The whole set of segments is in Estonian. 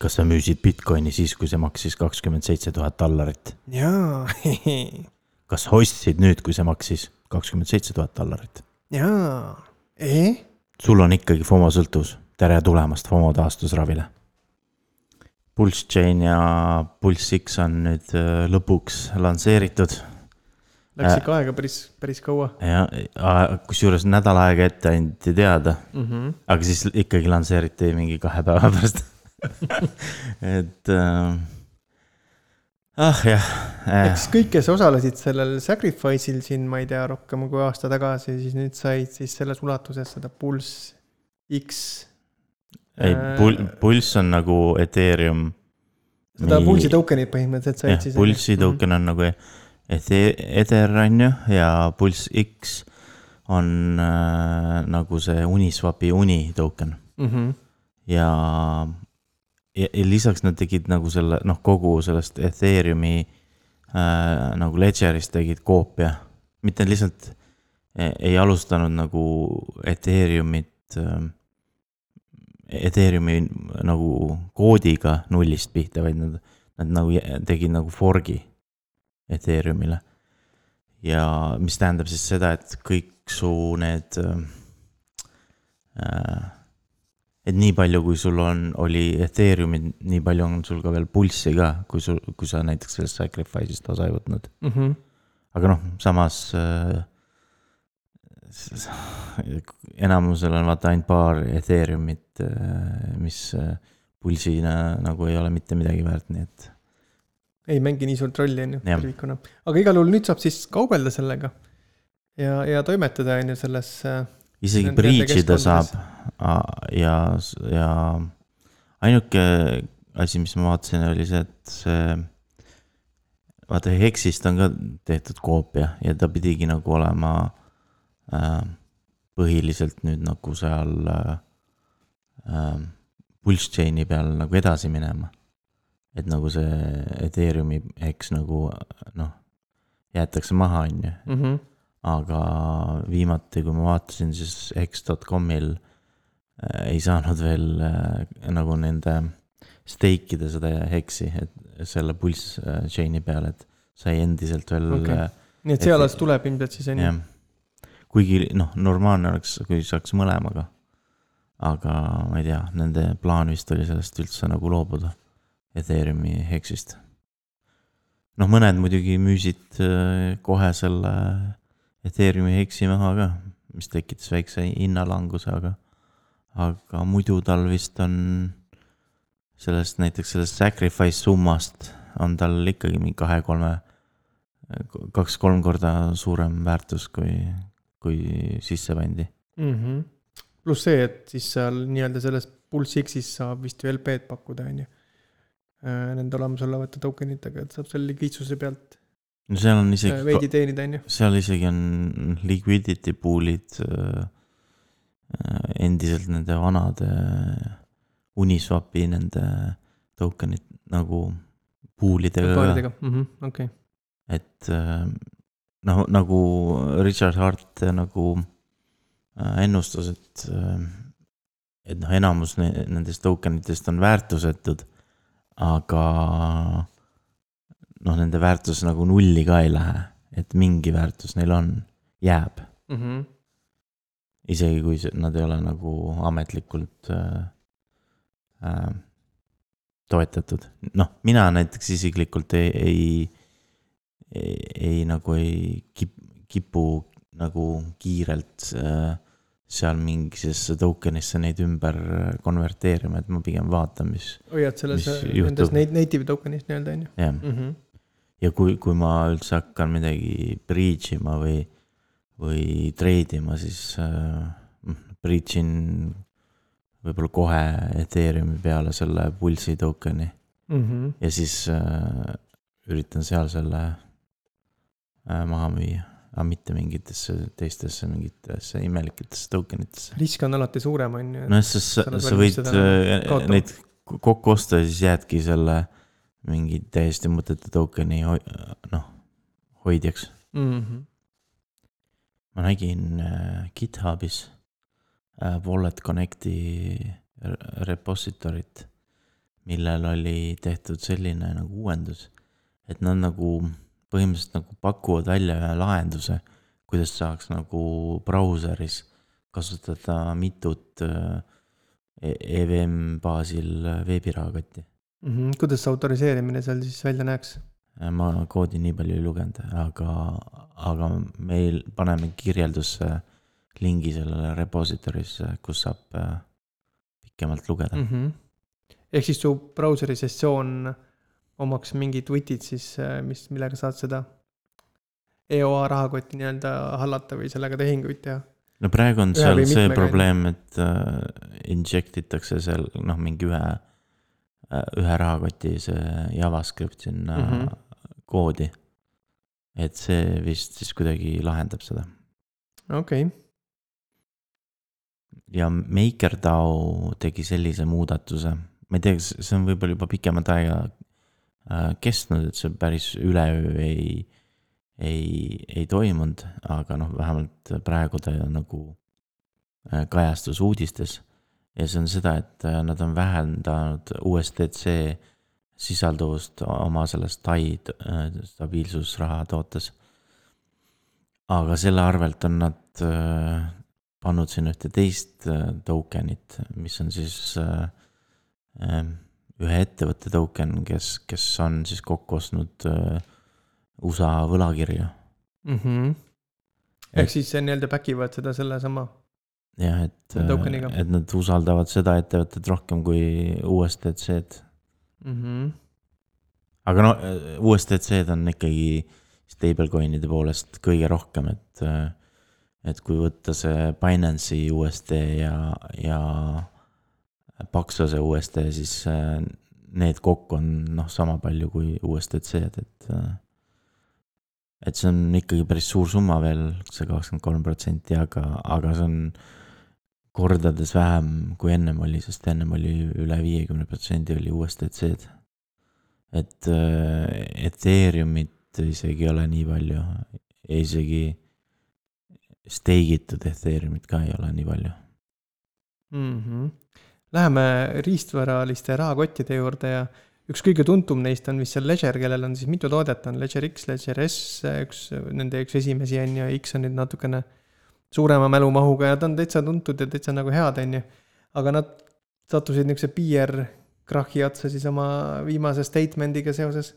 Kas sa müüsid Bitcoini siis, kui see maksis $27,000? Jaa. Kas ostsid nüüd, kui see maksis $27,000? Jaa. Sul on ikkagi FOMO sõltuvus. Tere tulemast FOMO taastusravile. Pulse Chain ja Pulse X on nüüd lõpuks lansseeritud. Läks ikka aega päris kaua. Ja, kus juures nädal aega ette anti teada. Aga siis ikkagi lansseeriti mingi 2 päeva pärast. Et jah. Eks kõik, kes osalesid sellel Sacrifice'il siin, ma ei tea, rohkem kui aasta tagasi, siis nüüd said siis selles ulatuses seda Pulse X. Ei, Pulse on nagu Ethereum. Seda Pulse'i tokenid põhimõtteliselt said siis. Pulse'i token on nagu Ether on ju, ja Pulse X on nagu see Uniswapi Uni token. Ja lisaks nad tegid nagu selle, kogu sellest Ethereumi nagu ledgerist tegid koopia. Mitte lihtsalt ei alustanud nagu Ethereumi nagu koodiga nullist pihta, vaid nad nagu tegid nagu forgi Ethereumile. Ja mis tähendab siis seda, et kõik su need et nii palju, kui sul oli Ethereumi, nii palju on sul ka veel Pulse'i ka, kui sa näiteks sellest Sacrifice'ist osa ei võtnud. Aga samas enamusel on vaata ainult paar Ethereumit, mis Pulse'ina nagu ei ole mitte midagi väärt, nii et ei mängi nii suurt rolli tervikuna. Aga igal juhul nüüd saab siis kaubelda sellega ja toimetada selles isegi breachida saab ja ainuke asi, mis ma vaatasin, oli see, et vaata Hexist on ka tehtud koopia ja ta pidigi nagu olema põhiliselt nüüd nagu seal Pulse Chaini peal nagu edasi minema. Et nagu see Ethereumi Hex nagu jäetakse maha on ju. Aga viimati, kui ma vaatasin, siis Hex.comil ei saanud veel nagu nende steikida seda Hexi, et selle Pulse Chaini peal, et sai endiselt veel nii et see alas tuleb ilmselt siis on ju. Kuigi normaalne oleks, kui saaks mõlemaga. Aga ma ei tea, nende plaan vist oli sellest üldse nagu loobuda Ethereumi Hexist. Mõned muidugi müüsid kohe selle Ethereumi Hexi maha ka, mis tekitas väikse hinnalanguse, aga muidu tal vist on näiteks sellest Sacrifice summast on tal ikkagi mingi 2-3 korda suurem väärtus, kui sisse pandi. Plus see, et siis seal nii-öelda selles Pulse X'is saab vist veel LP-d pakkuda, on ju. Nende olemasolevate tokenitega, et saab selle liquidsuse pealt seal on isegi veidi teenida, on ju. Seal isegi on liquidity pool'id endiselt nende vanade Uniswapi nende tokenid nagu pool'idega ka. Et nagu Richard Hart nagu ennustas, et enamus nendest tokenitest on väärtusetud, aga nende väärtus nagu nulli ka ei lähe, et mingi väärtus neil jääb. Isegi kui nad ei ole nagu ametlikult toetatud. Mina näiteks isiklikult ei kipu nagu kiirelt seal mingisesse tokenisse neid ümber konverteerima, et ma pigem vaatan, mis juhtub. Nendes native tokenist nii-öelda, on ju. Jah. Ja kui ma üldse hakkan midagi breachima või treidima, siis breachin võib-olla kohe Ethereumi peale selle Pulse'i tokeni. Ja siis üritan seal selle maha müüa. Aga mitte mingitesse teistesse mingitesse imelikitesse tokenitesse. Risk on alati suurem, on ju. Sa võid neid kokku osta ja siis jäädki selle mingi täiesti mõtete tokeni hoidjaks. Ma nägin GitHubis Wallet Connecti repositorit, millel oli tehtud selline nagu uuendus, et nad nagu põhimõtteliselt nagu pakuvad välja ühe lahenduse, kuidas saaks nagu brauseris kasutada mitut EVM baasil veebirahakotti. Kuidas see autoriseerimine seal siis välja näeks? Ma koodi nii palju ei lugenud, aga meil paneme kirjeldusse lingi sellele repositorisse, kus saab pikemalt lugeda. Ehk siis su brauseri sessioon omaks mingid widget'id siis, millega saad seda EOA rahakotti nii-öelda hallata või sellega tehinguid teha? No praegu on seal see probleem, et injectitakse seal mingi ühe rahakoti see JavaScript sinna koodi. Et see vist siis kuidagi lahendab seda. Okei. Ja MakerDAO tegi sellise muudatuse. Ma ei tea, see on võib-olla juba pikemat aega kestnud, et see päris üleöö ei toimunud, aga vähemalt praegu ta nagu kajastus uudistes. Ja see on seda, et nad on vähendanud USDC sisalduvust oma sellest TAI stabiilsusraha tootes. Aga selle arvelt on nad pannud siin ühte teist tokenit, mis on siis ühe ettevõtte token, kes on siis kokku ostnud USA võlakirja. Ehk siis see nii-öelda backivad seda selle sama jah, et nad usaldavad seda ettevõtet rohkem kui USDC-d. Aga USDC-d on ikkagi stablecoinide poolest kõige rohkem, et kui võtta see Binance'i USD ja Paxose USD, siis need kokku on sama palju kui USDC-d, et see on ikkagi päris suur summa veel, see 23%, aga see on kordades vähem kui ennem oli, sest ennem oli üle 50% oli USDC-d. Et Ethereumit isegi ei ole nii palju, isegi steigitud Ethereumit ka ei ole nii palju. Läheme riistvaraliste rahakottide juurde ja üks kõige tuntum neist on vist seal Ledger, kellel on siis mitu toodet, on Ledger X, Ledger S, nende üks esimesi on ja X on nüüd natukene suurema mälumahuga ja ta on täitsa tuntud ja täitsa nagu head on ju. Aga nad sattusid niukse PR-krahhi otsa siis oma viimase statemendiga seoses.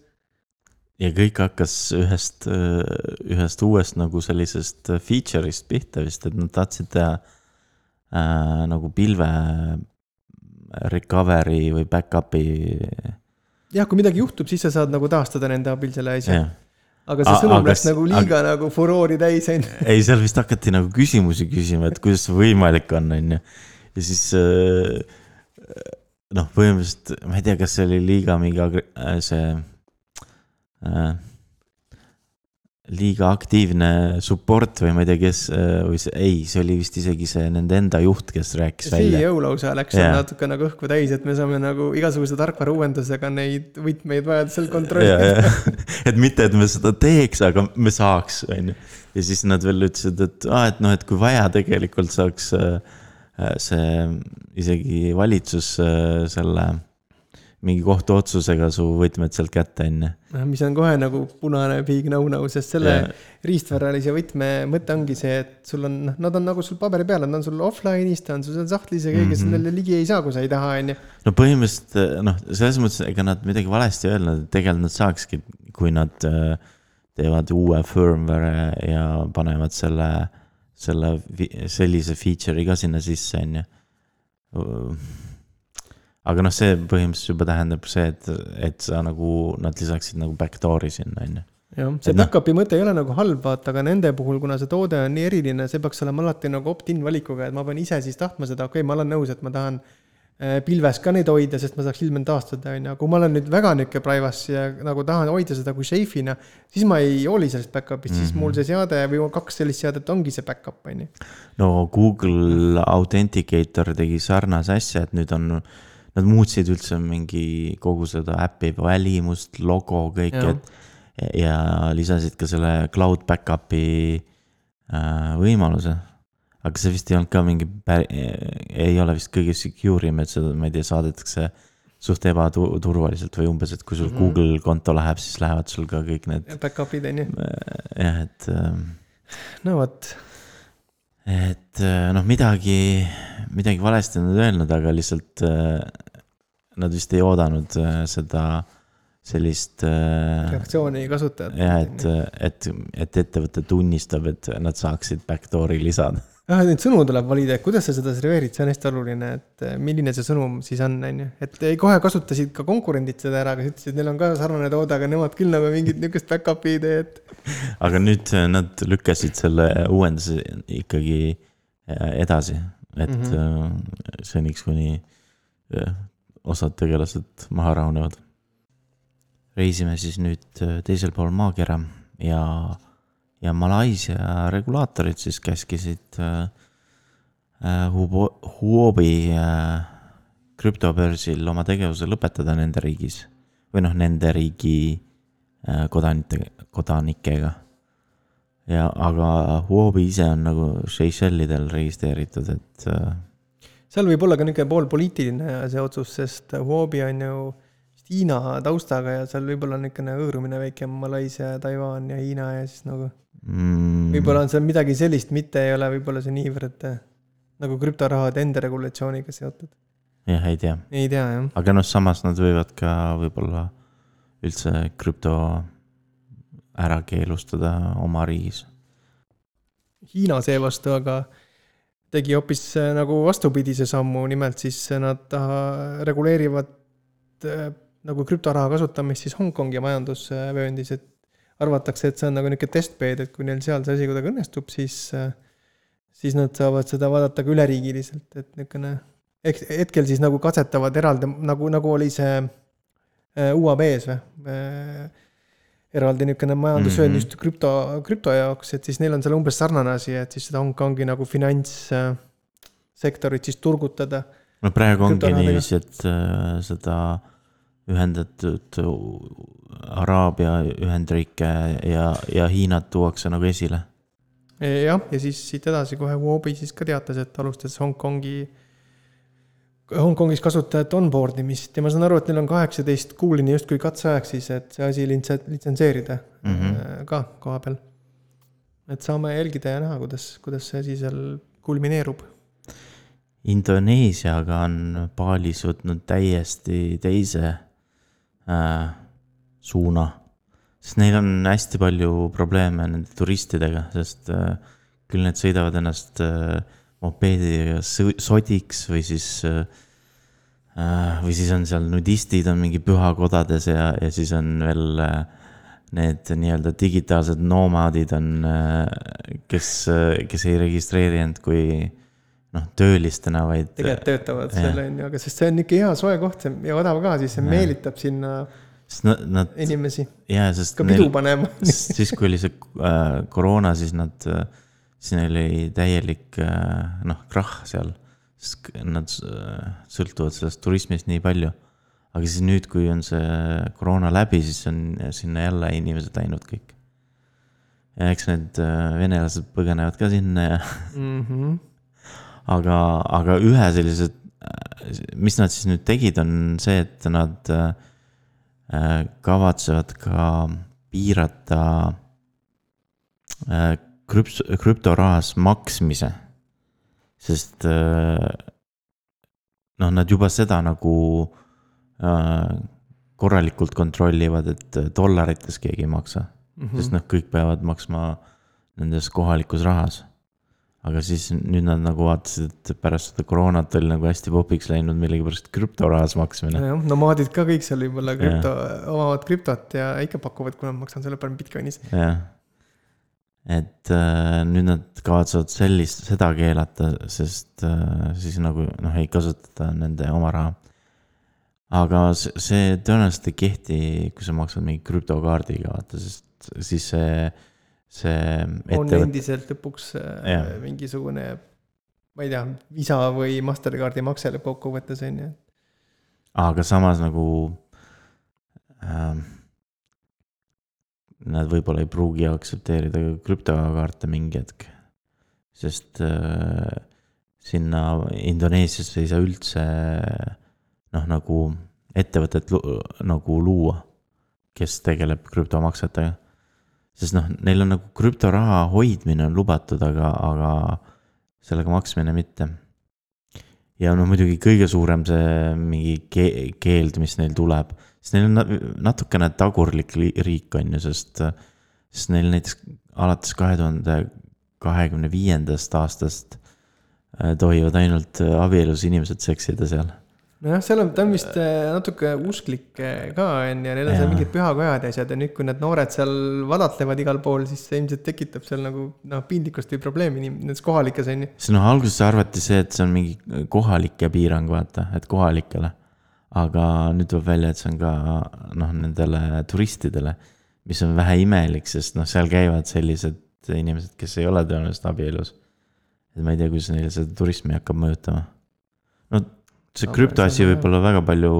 Ja kõik hakkas ühest uuest nagu sellisest feature'ist pihta vist, et nad tahtsid teha nagu pilve recovery või backup'i. Jah, kui midagi juhtub, siis sa saad nagu taastada nende abil selle asja. Aga see sõnum läks nagu liiga nagu furoori täis. Ei, seal vist hakati nagu küsimusi küsima, et kuidas see võimalik on. Ja siis põhimõtteliselt, ma ei tea, kas see oli liiga mingi liiga aktiivne support või ma ei tea, kes või see oli vist isegi see nende enda juht, kes rääkis välja. CEO lausa läks natuke nagu õhku täis, et me saame nagu igasuguse tarkvara uuendusega neid võtmeid vajadusel kontrollida. Et mitte, et me seda teeks, aga me saaks. Ja siis nad veel ütlesid, et kui vaja tegelikult saaks see isegi valitsus selle mingi kohtu otsusega su võtmed sealt kätte enne. Mis on kohe nagu punane big no-no, sest selle riistvaralise võtme mõte ongi see, et sul on, nad on nagu sul paberi peal, nad on sul offline'is, ta on sul seal sahtlis ja keegi sellele ligi ei saa, kui sa ei taha. No põhimõtteliselt, selles mõttes, ega nad midagi valesti öelnud, et tegelikult nad saakski, kui nad teevad uue firmware ja panevad sellise feature'i ka sinna sisse, aga see põhimõtteliselt juba tähendab see, et sa nagu, nad lisaksid nagu backdoor'i sinna. Jah, see backupi mõte ei ole nagu halb, aga nende puhul, kuna see toode on nii eriline, see peaks olema alati nagu opt-in valikuga, et ma pean ise siis tahtma seda, okei, ma olen nõus, et ma tahan pilves ka neid hoida, sest ma saaks ilmselt taastada. Kui ma olen nüüd väga nükke privacy ja nagu tahan hoida seda kui safe'ina, siis ma ei hooli sellest backup'ist, siis mul see seade või 2 sellist seadet ongi see backup. No Google Authenticator tegi sarnase asja, et nüüd on nad muutsid üldse mingi kogu seda äppi välimust, logo, kõik, ja lisasid ka selle cloud backup'i võimaluse. Aga see vist ei olnud ka mingi ei ole vist kõige secure'im, et seda, ma ei tea, saadetakse suht ebaturvaliselt või umbes, et kui sul Google konto läheb, siis lähevad sul ka kõik need back-up'id on ju. jah, et no vot. et noh, midagi valesti on nad öelnud, aga lihtsalt nad vist ei oodanud seda sellist reaktsiooni kasutajat. jah, et ettevõte tunnistab, et nad saaksid backdoori lisada. Neid sõnu tuleb valida, et kuidas sa seda serveerid, see on hästi oluline, et milline see sõnum siis on, on ju. Et kohe kasutasid ka konkurendid seda ära, kes ütlesid, neil on ka sarnane toode, aga nemad küll nagu mingit niukest back-up'i ideed. Aga nüüd nad lükkasid selle uuenduse ikkagi edasi, et seniks kuni osad tegelased maha rahunevad. Reisime siis nüüd teisel pool maakera ja Malaisia regulaatorid siis käskisid Huobi krüptobörsil oma tegevuse lõpetada nende riigis või noh, nende riigi kodanikega. Aga Huobi ise on nagu Seychellidel registreeritud, et seal võib olla ka niisugune pool poliitiline see otsus, sest Huobi on ju Hiina taustaga ja seal võib-olla niisugune hõõrumine väike Malaisia, Taiwan ja Hiina ja siis nagu võib-olla on seal midagi sellist, mitte ei ole võib-olla see niivõrd nagu krüptorahade enda regulatsiooniga seotud. Jah, ei tea. Ei tea, jah. Aga noh, samas nad võivad ka võib-olla üldse krüpto ära keelustada oma riigis. Hiina seevastu aga tegi hoopis nagu vastupidise sammu, nimelt siis nad reguleerivad nagu krüptoraha kasutamist siis Hongkongi majandusvööndis, et arvatakse, et see on nagu niisugune testbed, et kui neil seal see asi kuidagi õnnestub, siis nad saavad seda vaadata ka üleriigiliselt, et niisugune hetkel siis nagu katsetavad eraldi, nagu oli see UAB-s eraldi niisugune majandusvöönd just krüpto jaoks, et siis neil on seal umbes sarnane asi, et siis seda Hongkongi nagu finantssektorit siis turgutada. No praegu ongi niiviisi, et seda ühendatud Araabia ühendriike ja Hiinat tuuakse nagu esile. Jah, ja siis siit edasi kohe Huobi siis ka teatas, et alustas Hongkongis kasutajat onboardimist ja ma saan aru, et neil on 18 kuulini just kui katseaeg siis, et see asi litsenseerida ka koha peal. Et saame jälgida ja näha, kuidas see asi seal kulmineerub. Indoneesiaga on Balis võtnud täiesti teise suuna, sest neil on hästi palju probleeme nende turistidega, sest küll need sõidavad ennast mopeediga sodiks või siis on seal nudistid on mingi pühakodades ja siis on veel need nii-öelda digitaalsed nomadid on, kes ei registreeri end kui töölistena, vaid tegelikult töötavad selle, aga sest see on ikka hea soe koht ja odav ka, siis see meelitab sinna inimesi sest ka pidu panema. Siis kui oli see koroona, siis neil oli täielik krahh seal, sest nad sõltuvad sellest turismist nii palju. Aga siis nüüd, kui on see koroona läbi, siis on sinna jälle inimesed läinud kõik. Ja eks need venelased põgenevad ka sinna ja Aga ühe sellised, mis nad siis nüüd tegid, on see, et nad kavatsevad ka piirata krüptorahas maksmise, sest nad juba seda nagu korralikult kontrollivad, et dollarites keegi ei maksa, sest kõik peavad maksma nendes kohalikus rahas. Aga siis nüüd nad nagu vaatasid, et pärast seda koroonat oli nagu hästi popiks läinud millegipärast krüptorahas maksmine. Nomaadid ka kõik seal võib-olla omavad krüptot ja ikka pakuvad, kui nad maksan selle peale Bitcoinis. Jah. Et nüüd nad kavatsevad seda keelata, sest siis nagu ei kasutata nende oma raha. Aga see tõenäoliselt ei kehti, kui sa maksad mingi krüptokaardiga, vaata, sest siis see on endiselt lõpuks mingisugune, ma ei tea, Visa või Mastercardi makse lõpp kokku võttes on ju. Aga samas nagu nad võib-olla ei pruugi aktsepteerida krüptokaarte mingi hetk, sest sinna Indoneesiasse ei saa üldse nagu ettevõtet nagu luua, kes tegeleb krüptomaksetega. Sest noh, neil on nagu krüptoraha hoidmine on lubatud, aga sellega maksmine mitte. Ja no muidugi kõige suurem see mingi keeld, mis neil tuleb. Sest neil on natukene tagurlik riik on ju, sest neil näiteks alates 2025. aastast tohivad ainult abielus inimesed seksida seal. Nojah, seal on, ta on vist natuke usklik ka on ja neil on seal mingid pühakojad ja asjad ja nüüd, kui need noored seal vadatlevad igal pool, siis see ilmselt tekitab seal nagu pindlikust või probleemi nendes kohalikes on ju. See alguses arvati see, et see on mingi kohalike piirang, vaata, et kohalikele. Aga nüüd tuleb välja, et see on ka nendele turistidele, mis on vähe imelik, sest seal käivad sellised inimesed, kes ei ole tõenäoliselt abielus. Et ma ei tea, kuidas neile seda turismi hakkab mõjutama. See krüptoasi võib-olla väga palju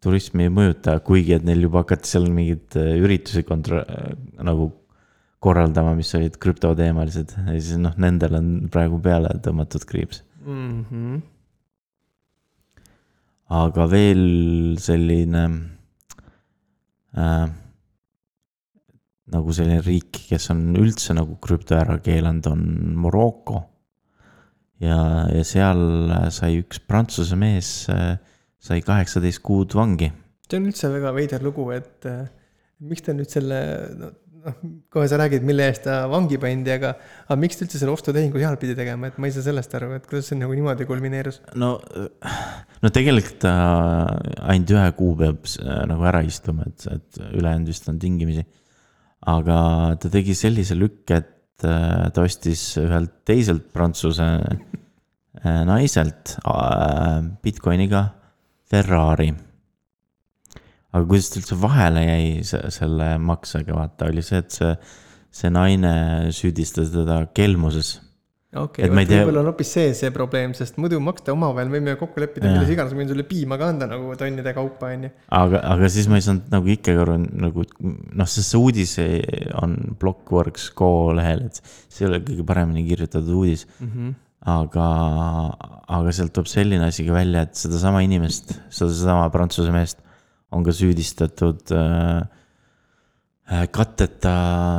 turismi ei mõjuta, kuigi et neil juba hakati seal mingid üritusi nagu korraldama, mis olid krüptoteemalised. Ja siis nendel on praegu peale tõmmatud kriips. Aga veel selline nagu selline riik, kes on üldse nagu krüpto ära keelanud, on Morocco. Ja seal sai üks prantsuse mees sai 18 kuud vangi. See on üldse väga veider lugu, et miks ta nüüd selle, kohe sa räägid, mille eest ta vangi pandi, aga miks ta üldse selle ostutehingu seal pidi tegema, et ma ei saa sellest aru, et kuidas see nagu niimoodi kulmineerus? No tegelikult ta ainult 1 kuu peab nagu ära istuma, et ülejäänud vist on tingimisi. Aga ta tegi sellise lükk, et ta ostis ühelt teiselt prantsuse naiselt Bitcoiniga Ferrari. Aga kuidas ta üldse vahele jäi selle maksega, vaata, oli see, et see naine süüdistas teda kelmuses. Okei, võib-olla on hoopis see probleem, sest muidu maksta omavahel võime kokku leppida, milles iganes võin sulle piima ka anda nagu tonnide kaupa. Aga siis ma ei saanud nagu ikkagi aru, nagu, see uudis on Blockworks.co lehel, et see ei ole kõige paremini kirjutatud uudis. Aga sealt tuleb selline asi ka välja, et sedasama inimest, sedasama prantsuse meest on ka süüdistatud katteta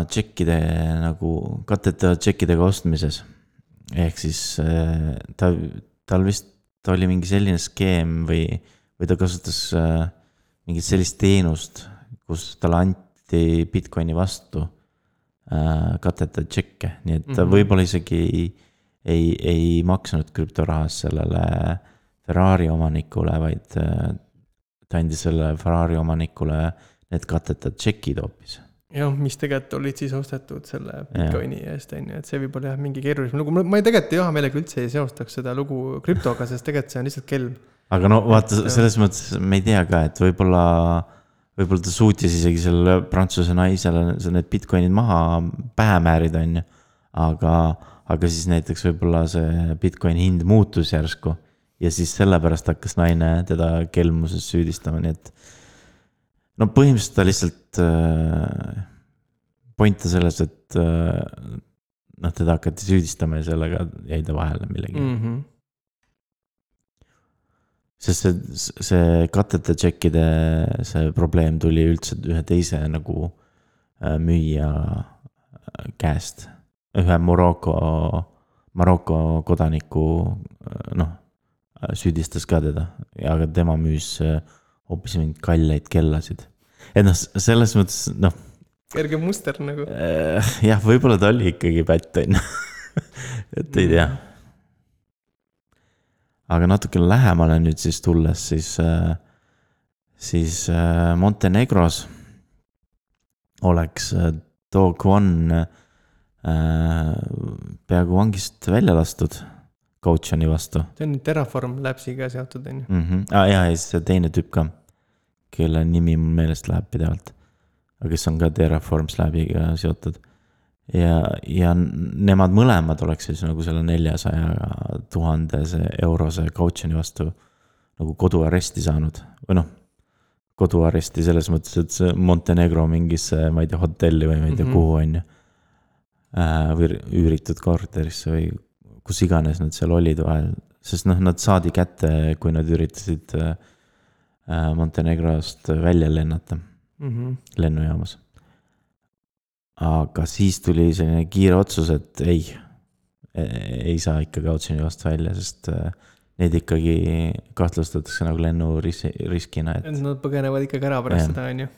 tšekkidega ostmises. Ehk siis tal vist oli mingi selline skeem või ta kasutas mingit sellist teenust, kus talle anti Bitcoini vastu katteta tšekke. Nii et ta võib-olla isegi ei maksnud krüptorahas sellele Ferrari omanikule, vaid ta andis selle Ferrari omanikule need katteta tšekid hoopis. Jah, mis tegelikult olid siis ostetud selle Bitcoini eest, et see võib olla mingi keerulisem lugu. Ma tegelikult hea meelega üldse ei seostaks seda lugu krüptoga, sest tegelikult see on lihtsalt kelm. Aga vaata, selles mõttes me ei tea ka, et võib-olla ta suutis isegi selle prantsuse naisele need Bitcoinid maha pähe määrida, on ju. Aga siis näiteks võib-olla see Bitcoini hind muutus järsku ja siis sellepärast hakkas naine teda kelmuses süüdistama, nii et põhimõtteliselt ta lihtsalt pointa selles, et teda hakati süüdistama ja sellega jäi ta vahele millegi. Sest see katteta tšekkide see probleem tuli üldse ühe teise nagu müüja käest. Ühe Maroko kodaniku süüdistas ka teda, aga tema müüs hoopis mingid kalleid kellasid. Et selles mõttes, kerge muster nagu. Jah, võib-olla ta oli ikkagi pätten. Et ei tea. Aga natuke lähemale nüüd siis tulles, siis Montenegros oleks Do Kwon peaaegu vangist välja lastud Coachani vastu. See on Terraform Labsiga seotud, on ju. Ja see teine tüüp ka, kelle nimi mul meelest läheb pidevalt, aga kes on ka Terraform Labiga seotud. Ja nemad mõlemad oleks siis nagu selle 400,000 eurose Coachani vastu nagu koduaresti saanud. Või koduaresti selles mõttes, et see Montenegro mingisse, ma ei tea, hotelli või ma ei tea kuhu on ju. Või üüritud korterisse või kus iganes nad seal olid vahel, sest nad saadi kätte, kui nad üritasid Montenegrost välja lennata lennujaamas. Aga siis tuli selline kiire otsus, et ei saa ikkagi otsjonivast välja, sest neid ikkagi kahtlustatakse nagu lennuriskina. Et nad põgenevad ikkagi ära pärast seda, on ju.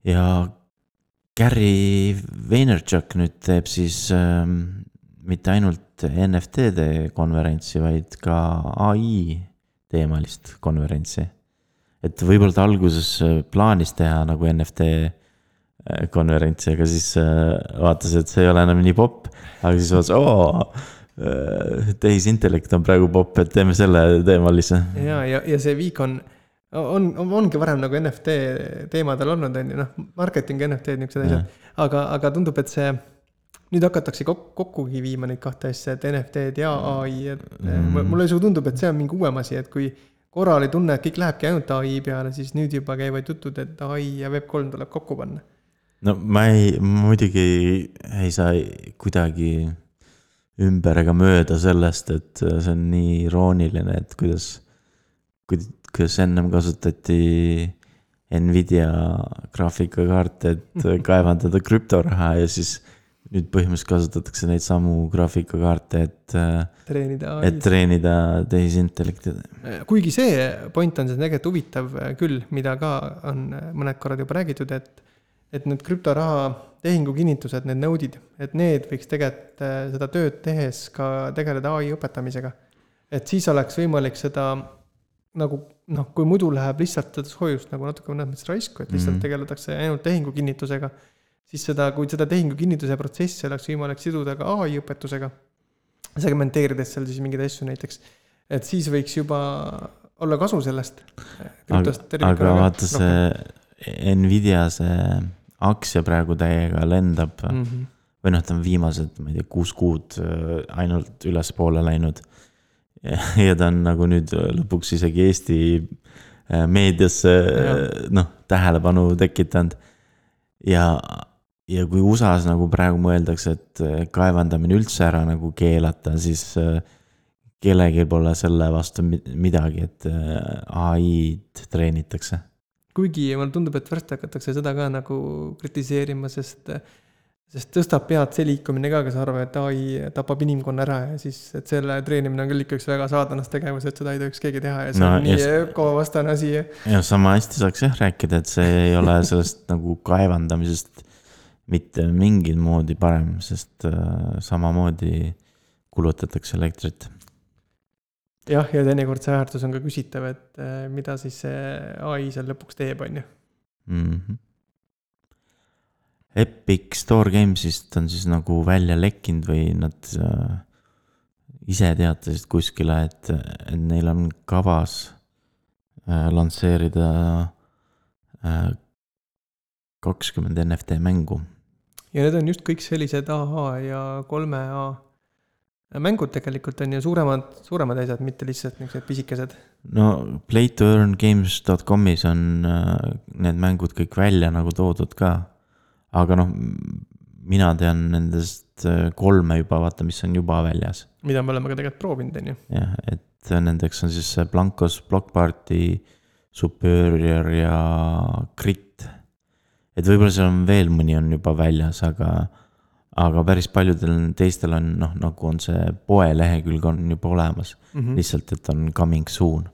Ja Gary Vaynerchuk nüüd teeb siis mitte ainult NFT-de konverentsi, vaid ka AI teemalist konverentsi. Et võib-olla ta alguses plaanis teha nagu NFT konverentsi, aga siis vaatas, et see ei ole enam nii popp, aga siis vaatas, tehisintellekt on praegu popp, et teeme selle teemalise. Ja see viik ongi varem nagu NFT teemadel olnud, on ju, noh, marketing, NFT, niisugused asjad, aga tundub, et see nüüd hakatakse kokkugi viima neid kahte asja, et NFT-d ja AI, et mulle tundub, et see on mingi uuem asi, et kui korra oli tunne, et kõik lähebki ainult AI peale, siis nüüd juba käivad jutud, et AI ja Web3 tuleb kokku panna. No ma muidugi ei saa kuidagi ümber ega mööda sellest, et see on nii irooniline, et kuidas ennem kasutati Nvidia graafikakaarte, et kaevandada krüptoraha ja siis nüüd põhimõtteliselt kasutatakse neid samu graafikakaarte, et treenida tehisintellekti. Kuigi see point on see tegelikult huvitav küll, mida ka on mõned korrad juba räägitud, et need krüptoraha tehingukinnitused, need node'id, et need võiks tegelikult seda tööd tehes ka tegeleda AI õpetamisega. Et siis oleks võimalik seda nagu, noh, kui muidu läheb lihtsalt seda soojust nagu natuke mõnes raisku, et lihtsalt tegeletakse ainult tehingukinnitusega, siis kui seda tehingukinnituse protsessi oleks võimalik siduda ka AI õpetusega, segmenteerides seal siis mingeid asju näiteks, et siis võiks juba olla kasu sellest. Aga vaata see Nvidia see aktsia praegu täiega lendab või noh, ta on viimased, ma ei tea, 6 kuud ainult üles poole läinud ja ta on nagu nüüd lõpuks isegi Eesti meediasse tähelepanu tekitanud ja kui USAs nagu praegu mõeldakse, et kaevandamine üldse ära nagu keelata, siis kellelgi pole selle vastu midagi, et AI-d treenitakse. Kuigi mulle tundub, et varsti hakatakse seda ka nagu kritiseerima, sest tõstab pead see liikumine ka, kes arvab, et AI tapab inimkonna ära ja siis, et selle treenimine on küll ikka üks väga saadanast tegevus, et seda ei tohiks keegi teha ja see on nii ökovastane asi. Ja sama hästi saaks rääkida, et see ei ole sellest nagu kaevandamisest mitte mingil moodi parem, sest samamoodi kulutatakse elektrit. Jah, ja teinekord see väärtus on ka küsitav, et mida siis see AI seal lõpuks teeb, on ju. Epic Store Gamesist on siis nagu välja lekkinud või nad ise teatasid kuskile, et neil on kavas lansseerida 20 NFT mängu. Ja need on just kõik sellised AH ja 3A mängud tegelikult on ju suuremad asjad, mitte lihtsalt niisugused pisikesed. No playtoearngames.comis on need mängud kõik välja nagu toodud ka, aga noh, mina tean nendest 3 juba, vaata, mis on juba väljas. Mida me oleme ka tegelikult proovinud, on ju. Jah, et nendeks on siis Blancos, Block Party, Superior ja Crit. Et võib-olla seal on veel mõni on juba väljas, aga päris paljudel teistel on, noh, nagu on see poe lehekülg on juba olemas, lihtsalt, et on coming soon.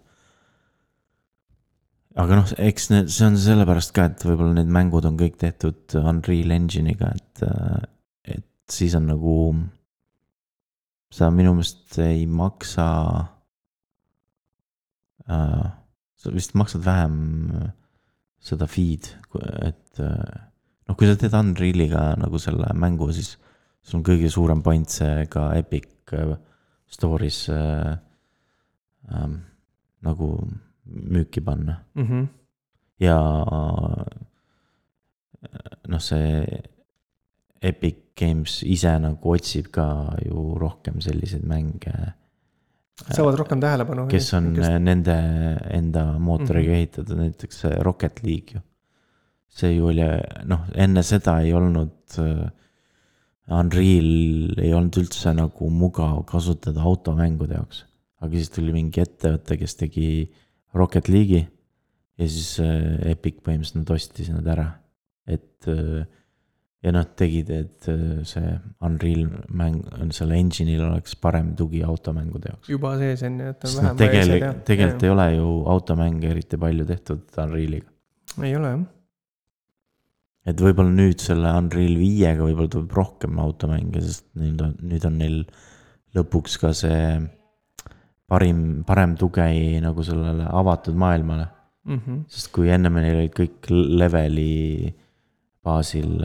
Aga noh, eks see on sellepärast ka, et võib-olla need mängud on kõik tehtud Unreal Engine'iga, et siis on nagu, sa minu meelest ei maksa, sa vist maksad vähem seda feed, et noh, kui sa teed Unrealiga nagu selle mängu, siis sul on kõige suurem point see ka Epic Stories nagu müüki panna. Ja noh, see Epic Games ise nagu otsib ka ju rohkem selliseid mänge. Saavad rohkem tähelepanu. Kes on nende enda mootoriga ehitatud, näiteks Rocket League ju. See ju oli, noh, enne seda ei olnud Unreal ei olnud üldse nagu mugav kasutada automängude jaoks. aga siis tuli mingi ettevõte, kes tegi Rocket League'i ja siis Epic põhimõtteliselt nad ostis nad ära, et ja noh, tegid, et see Unreal mäng, selle engine'il oleks parem tugi automängude jaoks. Juba sees on, et on vähem tegelikult ei ole ju automänge eriti palju tehtud Unrealiga. Ei ole, jah. Et võib-olla nüüd selle Unreal 5-ga võib-olla tuleb rohkem automänge, sest nüüd on neil lõpuks ka see parem tugi nagu sellele avatud maailmale. Sest kui enne neil olid kõik leveli baasil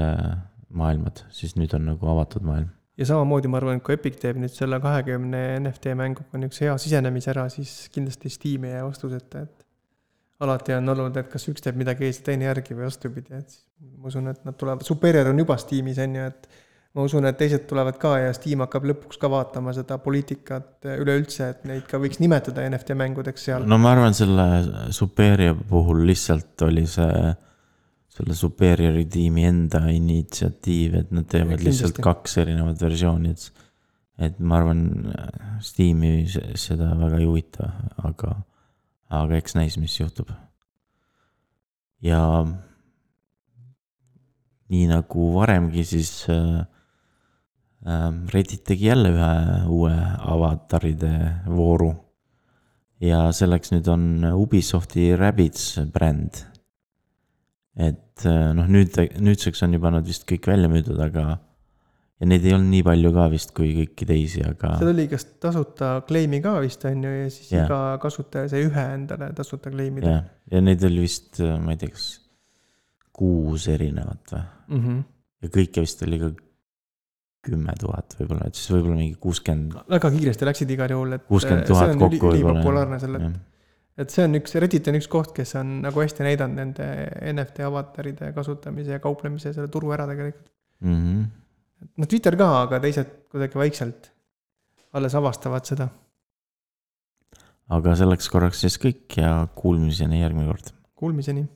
maailmad, siis nüüd on nagu avatud maailm. Ja samamoodi ma arvan, et kui Epic teeb nüüd selle 20 NFT mänguga on üks hea sisenemis ära, siis kindlasti Steam ei jää vastuseta, et alati on olnud, et kas üks teeb midagi ees teine järgi või vastupidi, et ma usun, et nad tulevad, Superior on juba Steamis on ju, et ma usun, et teised tulevad ka ja Steam hakkab lõpuks ka vaatama seda poliitikat üleüldse, et neid ka võiks nimetada NFT mängudeks seal. No ma arvan, selle Superior puhul lihtsalt oli selle Superiori tiimi enda initsiatiiv, et nad teevad lihtsalt 2 erinevat versiooni, et ma arvan, Steam'i seda väga ei huvita, aga eks näis, mis juhtub. Ja nii nagu varemgi, siis Reddit tegi jälle ühe uue avataride vooru ja selleks nüüd on Ubisofti Rabbids bränd. Et noh, nüüdseks on juba nad vist kõik välja müüdud, aga ja neid ei olnud nii palju ka vist kui kõiki teisi, aga see oli kas tasuta kleimi ka vist on ju ja siis iga kasutaja sai ühe endale tasuta kleimida. Ja neid oli vist, ma ei tea, kas 6 erinevat või? Ja kõike vist oli ka 10 000 võib-olla, et siis võib-olla mingi 60. Väga kiiresti läksid igal juhul, et 60 000 kokku võib-olla. Populaarne selle, et see on Reddit on üks koht, kes on nagu hästi näidanud nende NFT avataride kasutamise ja kauplemise selle turu ära tegelikult. No Twitter ka, aga teised kuidagi vaikselt alles avastavad seda. Aga selleks korraks siis kõik ja kuulmiseni järgmine kord. Kuulmiseni.